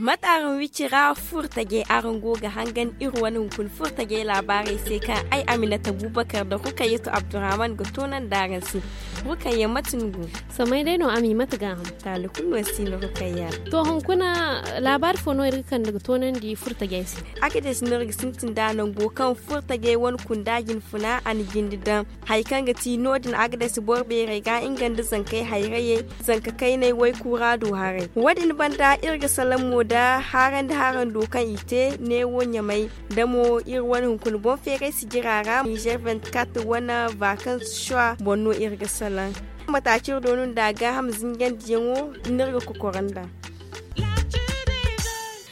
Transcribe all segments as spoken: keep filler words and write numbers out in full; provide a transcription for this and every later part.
Mate araŋ wicira furtajey araŋ go ga hangan iri wane hunkuna furtajey laabaarey se kaŋ ay aminata bubakar nda rukayatu abdurrahman ga toonandi araŋ se. Rukayya mate ni go? Samay day no a ma i mate gaaham. Taali kulu no si no rukayya. To hunkuna laabaari fo no iri ga kande ga toonandi furtajey se? Agades no iri ga sintin nd'a nango kaŋ furtajey wane kunda jinfuna a na jinde daŋ hari kaŋ ga ti no- din agades boro beerey ga nga nda zankey hayrayey, zanka kaynay waykura do haray. Wo- din banda iri ga salaŋ mo nda haarandi harando kaŋ i te neewo ɲamay nda mo iri wane hunkuna boŋ feeray sijira ra nizer vingt-quatre wane vakans shuwa boŋ no iri ga salaŋ. Mataacir do no nda gaaham zinjandiyaŋo no iri ga kokoro nda.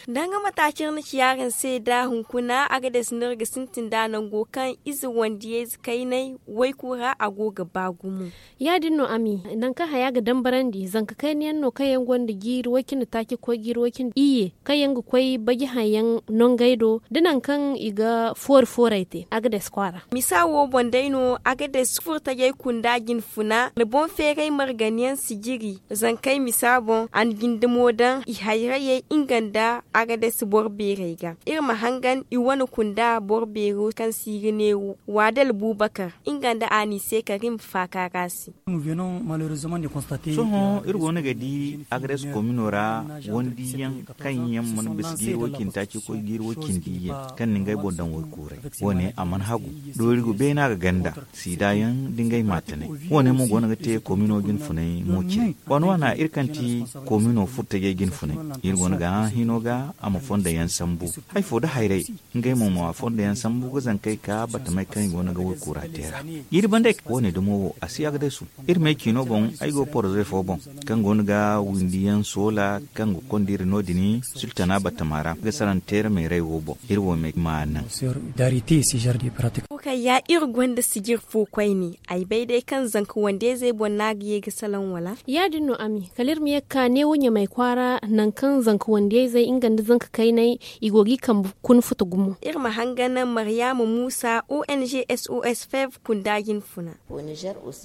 Danga mataacir na ci yaaraŋ se nda hunkuna agades no iri ga sintin nd'a nango kaŋ ize wandiyayze kaynay waykura a go ga ba gumo. Ya- din no ami nangu kaŋ haya ga dambarandi zanka kayna yaŋ no kaŋ yaŋ gonda jiiri way- cindi taaci ga koy jiiri way- cindi iyye kaŋ yaŋ ga koy baji haŋ yaŋ nangey do da nangu kaŋ i ga foori fooray te agades kwaara. Misa wo boŋ day no agades furtajey kunda jinfuna na boŋ feeray margani yaŋ sijiri zankey misa boŋ a na jindamo daŋ i hayrayey nga nda agades boro beerey ga iri ma hangan i wane kunda boro beero kaŋ se i ga ne waadal bubakar nga nda a n'i se karim faaka ra se. Sohõ iri go no ga di agades komino ra wandiyaŋ kaŋ yaŋ mana bisa jiiri way- cindi taaci ga koy jiiri way- cindi iyye kaŋ na ngey boŋ daŋ waykuuray. Wo- ne a mana hagu doori go beena ga ganda siida yaŋ da ngey maatanay. Wo- ne mo go no ga te komino jinfunay mo cire waana waana iri kaŋ ti komino furtajey jinfunay iri go no ga hã hino ga a ma fondo yaŋ sambu. Hari fo da hayray ngey mo ma fondo yaŋ sambu ga zankey ka batamey kaŋ i go no ga waykuura te ra. Jiiri banda ay ka wo- ne dumo wo a si agades iri me ciino boŋ ay go poroze fo boŋ kaŋ go no ga windi yaŋ soola kaŋ ga konda iri no- din sultana batama ra ga salaŋ teera meeray wo boŋ iri wo me ma naŋ. Wo kaŋ ya iri gonda sijir fo koyne ay bay day kaŋ zanka wandeyzey boŋ no a ga ye ga salaŋ wala? Ya- din no ami kala iri ma ye ga ka neewo ɲamay kwaara nangu kaŋ zanka wandeyzey nga nda zanka kaynay i go ga i kambe kuna futa gumo. Iri ma hangan maryama muusa ong sos fev kunda jinfuna.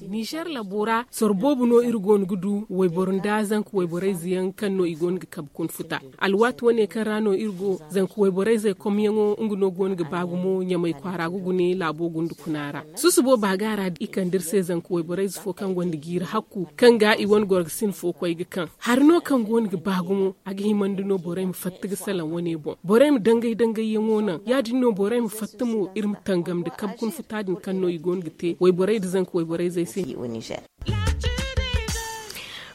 Nizer labo ra soro boobo no iri go no ga du wayboro nda zanka wayborayze yaŋ kaŋ no i go no ga kabe kuna futa. Alwaati wane kaŋ ra no iri go zanka wayborayzey komyaŋo nga no go no ga ba gumo ɲamay kwaara ga gune laabo gunda kuna ra. Susubo baaga ra i kande iri se zanka wayborayze fo kaŋ gonda jiiri hakku kaŋ ga i wane gorgasin fo koy ga kaŋ hari no kaŋ go no ga ba gumo a ga himandi no borey ma fatta ga salaŋ wane boŋ borey ma dangay dangayyaŋo naŋ ya- din no borey ma fatta mo iri ma tangam nda kabe kuna futa din kaŋ no i go no ga te wayborey nda zanka wayborayzey se.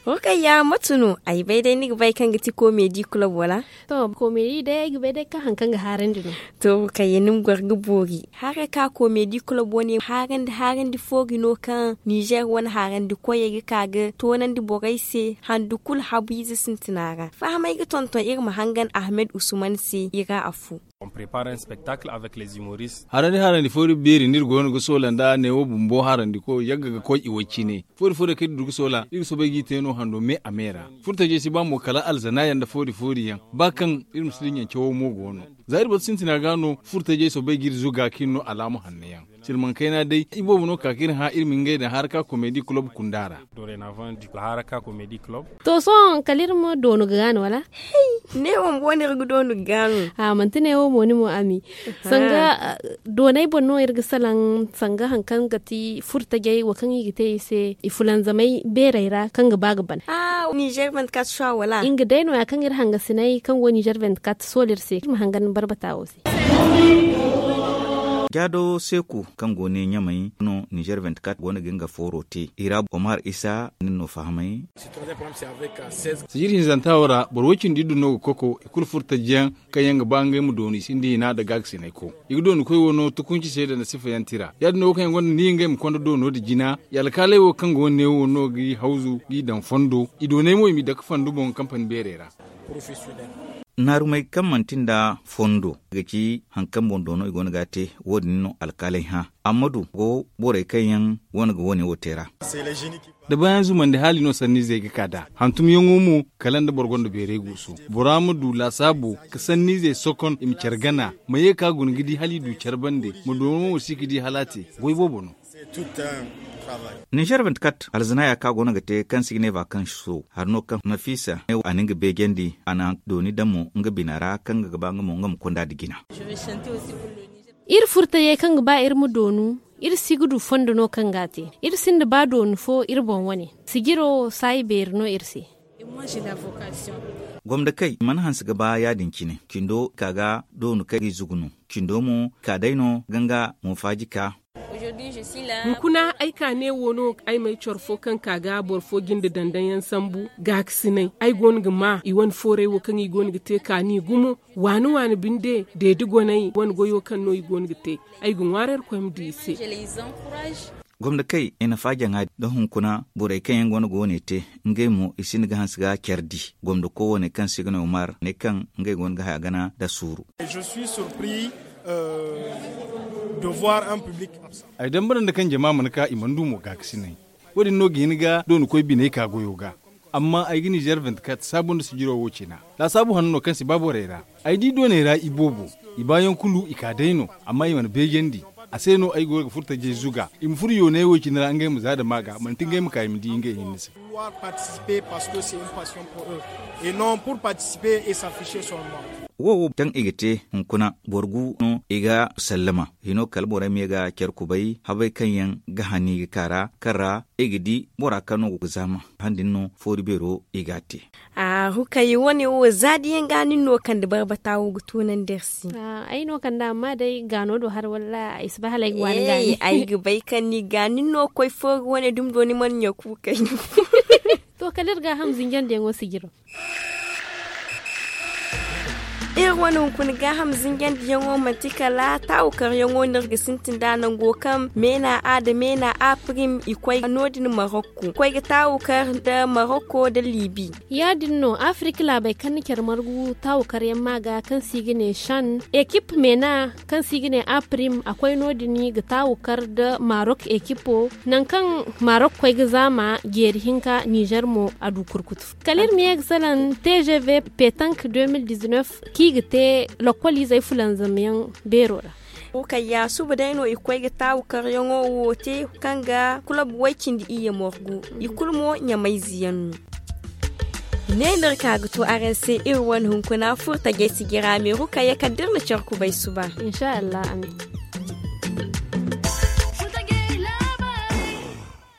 Rukayya mate no ay bay day ni ga bay kaŋ ga ti komedi kulob wala? To komedi day ay ga bay day kaŋ hari kaŋ ga haarandi no. To rukayya ni ma goro ga boori haray ka komedi kulob wane haarandi haarandi foori no kaŋ nizer wane haarandi koyey ga ka ga toonandi borey se handu kulu habu ize sintina ra fahamay ga tonton iri ma hangan ahmed usman se i ra afo. Harandi harandi fo iri beeri no iri go no ga soola nda neewo bumbo harandi ko yagga ga koy i way cine foori foori kaŋ iri du ga soola iri ga soobay g'i te no hando me a me ra. Furtajey si ba mo kala alzana yaŋ nda foori foori yaŋ ba kaŋ iri ma si dinya cawo mo go no. Za iri batu sintina ga no furtajey soobay ga iri zuga kaŋ iri no alaama hanno yaŋ. Silmaŋ kayna day iboobo no ka ga iri hã iri ma ngey daŋ haraka komedi kulob kunda ra. To sohõ kala iri ma doonu ga gaano wala? Hey, neewo bumbo no iri ga doonu ga gaano. A manti neewo mo ni mo ami. Sanga doonay boŋ no iri ga salaŋ sanga hari kaŋ ga ti furtajey wo kaŋ i ga te i se i fulanzamay beerey ra kaŋ ga ba ga ban. Nizer vingt-quatre soir wala nga day no- ya kaŋ iri hangasinay kaŋ go nizer vingt-quatre sool iri se iri ma hangan barbata wo se. Jaado seeku kaŋ go ne ɲamay no nizer vingt-quatre go no ga nga fooro te i ra omar isa nin no fahamay. Sijir hinzanta wo ra boro way cindi iddu no ga koko i kulu furtajiyaŋ kaŋ yaŋ ga ba ngey ma doonu i sinda hina nda gaagasinay ko i ga doonu koy wo no tukunci se nda nasifa yaŋ tira ya- din no wo kaŋ yaŋ gonda ni ngey ma konda doono nda jina. I alkaaley wo kaŋ go ne wo no ga i hawzu ga i daŋ fondo i doonay mo i m'i dake fandu boŋ kampani beerey ra. Naarumey kaŋ manti nda fondo ga ci hari kaŋ boŋ doono i go no ga a te. Wo- din no alkaaley hã. Ammadu go borey kaŋ yaŋ wane ga wane wo te ra. Da bayan zumandi hala i no sanniizey ga ka nd'a hantumyaŋo mo. Kala nda boro gonda beeray guusu bora ma du laasaabo ka sanniizey sokon i ma care gana ma ye ka guna ga di hala i du care bande ma doono mo si ga di hala a te. Goy boobo no. Ninzeer vingt-quatre alzanaaya kaŋ a go no ga te kaŋ se i ga ne vakanso hari no kaŋ nafiisa ne a na nga beejandi a na dooni daŋ mo nga bina ra kaŋ ga ba nga mo nga ma konda nda jina. Iri furtajey kaŋ ga ba iri ma doonu iri si ga du fondo no kaŋ ga a te. Iri sinda ba doonu fo iri boŋ wane sijiro saayi beeri no iri se. Gomdakey i mana hanse ga ba ya- din cine cindo ka ga doonu kaŋ ga i zugu no. Cindo mo ka day no ga nga mo faaji ka. Hunkuna ay ka ne wo no ay ma ay coro fo kaŋ ka ga boro fo jinde dandaŋ yaŋ sambu gaakasinay ay go no ga ma i wane fooray wo kaŋ i go no ga te kaani gumo. Waani waani binde deedi goney wane goyo kaŋ no i go no ga te. Ay ga ŋwaarey ra koy ma du i se. Gomdakey i nafa jaŋa da hunkuna borey kaŋ yaŋ go no ga wane te ngey mo i sinda ga hanse ga care di. Gomdako wane kaŋ se i ga ne omar ne kaŋ ngey go no ga haya gana nda suuru. Ay dambara nda kaŋ jama mana ka i mana du mo gaakasinay. Wo- din no ga hin ga dooni koy biney ka goyo ga. Amma ay ga nizeer vingt-quatre saabu nda sijiro wo cina. Laasaabu hanno kaŋ si ba borey ra ay di dooney ra i boobo i baayaŋ kulu i ka day no. Amma i mana beejandi a se no ay go ga furtajey zuga i ma furo yoonay wo cine ra ngey ma za dama ga manti ngey ma ka i ma di ngey hinne se. Wo wo kaŋ i ga te hunkuna boro gu no i ga sallama hino kala borey ma ye ga care kubay habey kaŋ yaŋ ga hani ga ka ra kaŋ ra i ga di bora kaŋ no ga zaama han din no foori beero i ga a te. Hukayi wane wo za da yaŋ ga nin no kande barbata wo ga tunandi iri se. Ay no kande amma day gaano do har walla ay si bay hala ay ga waani gaani. Ay ga bay kaŋ ni ga nin no koy foori wane dumi do ni mana ɲa kuukay no. To kala iri gaaham zinjandiyaŋo sijiro. Iri wane hunkuna gaaham zinjandiyaŋo manti kala taawu karyaŋo no iri ga sintin nd'a nango kaŋ meena a nda meena a prim i koy no- din marokko koy ga taawu kar nda marokko nda libi. Ya- din no afirika laabey kaŋ na care margu taawu karyaŋ ma ga kaŋ se i ga ne shan ekip meena kaŋ se i ga ne a prim a koy no- din ga taawu kar nda marok ekipo nangu kaŋ marok koy ga zaama jeeri hinka nizer mo a du kurkutu. Kala iri ma ye ga salaŋ tgv petank deux mille dix-neuf kaŋ i ga te lokol izey fulanzamyaŋ beero ra. Wo kayya suba day no i koy ga taawu karyaŋo wo te kaŋ ga kulob way-cindi iyye morgu i kulu mo ɲamayze yaŋ no. Ne no iri ka ga to araŋ se iri wane hunkuna furtajey sijira meeru kayya kala da iri na care kubay suba. Insha allah amin.